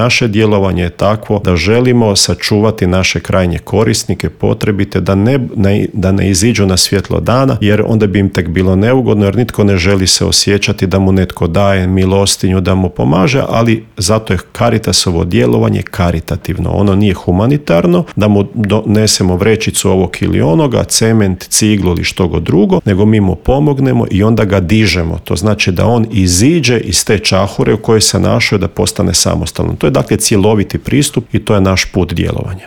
Naše djelovanje je takvo da želimo sačuvati naše krajnje korisnike, potrebite, da ne iziđu na svjetlo dana, jer onda bi im tek bilo neugodno, jer nitko ne želi se osjećati da mu netko daje milostinju, da mu pomaže, ali zato je Caritasovo djelovanje karitativno. Ono nije humanitarno, da mu donesemo vrećicu ovog ili onoga, cement, ciglu ili što god drugo, nego mi mu pomognemo i onda ga dižemo. To znači da on iziđe iz te čahure u kojoj se našao, da postane samostalan. To je dakle cjeloviti pristup i to je naš put djelovanja.